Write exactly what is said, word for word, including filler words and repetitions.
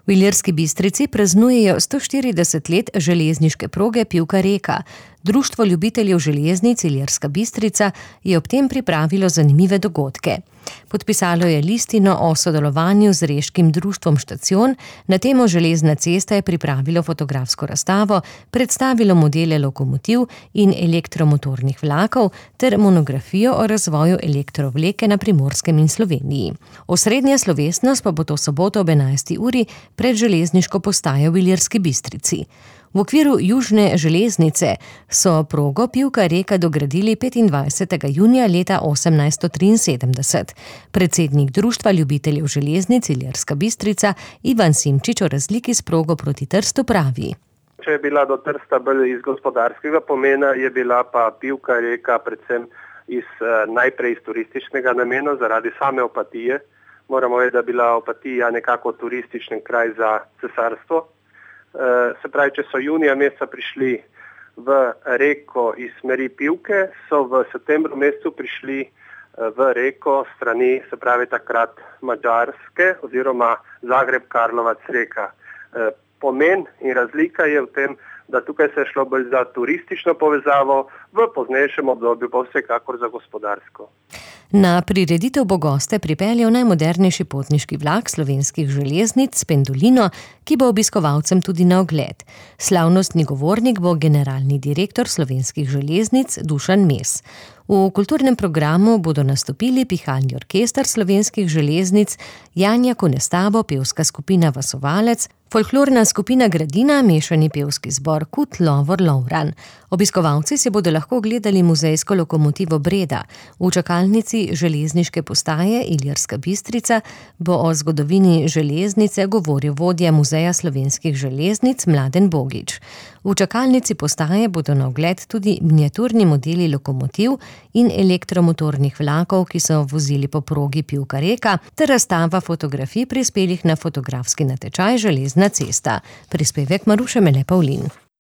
V Ilirski Bistrici praznujejo sto štirideset let železniške proge Pivka-Reka. Društvo ljubiteljev železnic Ilirska Bistrica je ob tem pripravilo zanimive dogodke. Podpisalo je listino o sodelovanju z Reškim društvom Štacion, na temo Železna cesta je pripravilo fotografsko razstavo, predstavilo modele lokomotiv in elektromotornih vlakov ter monografijo o razvoju elektrovleke na Primorskem in Sloveniji. Osrednja slovesnost pa bo to soboto ob enajsti uri pred železniško postajo v Ilirski Bistrici. V okviru južne železnice so progo Pivka-Reka dogradili petindvajsetega junija leta osemnajststo triinsedemdeset. Predsednik Društva ljubiteljev železnic Ilirska Bistrica Ivan Simčič o razliki s progo proti Trstu pravi. Če je bila do Trsta bolj iz gospodarskega pomena, je bila pa Pivka-Reka predvsem iz, najprej iz turističnega namena zaradi same Opatije. Moramo vedeti, da je bila Opatija nekako turistični kraj za cesarstvo. Se pravi, če so junija meseca prišli v reko iz smeri Pivke, so v septembru mesecu prišli v reko strani, se pravi takrat Madžarske oziroma Zagreb-Karlovac reka. Pomen in razlika je v tem, da tukaj se je šlo bolj za turistično povezavo, v poznejšem obdobju pa vsekakor za gospodarsko. Na prireditev bo goste pripeljal najmodernejši potniški vlak slovenskih železnic Pendolino, ki bo obiskovalcem tudi na ogled. Slavnostni govornik bo generalni direktor slovenskih železnic Dušan Mes. V kulturnem programu bodo nastopili pihalni orkester slovenskih železnic, Janja Konestabo, pevska skupina Vasovalec, folklorna skupina Gradina, mešani pevski zbor Kut Lovor Lovran. Obiskovalci si bodo lahko gledali muzejsko lokomotivo Breda. V čakalnici železniške postaje Ilirska Bistrica bo o zgodovini železnice govoril vodja Muzeja slovenskih železnic Mladen Bogič. V čakalnici postaje bodo na ogled tudi miniaturni modeli lokomotiv in elektromotornih vlakov, ki so vozili po progi Pivka-Reka, ter razstava fotografij prispelih na fotografski natečaj Železna cesta. Prispevek Maruše Mele Pavlin.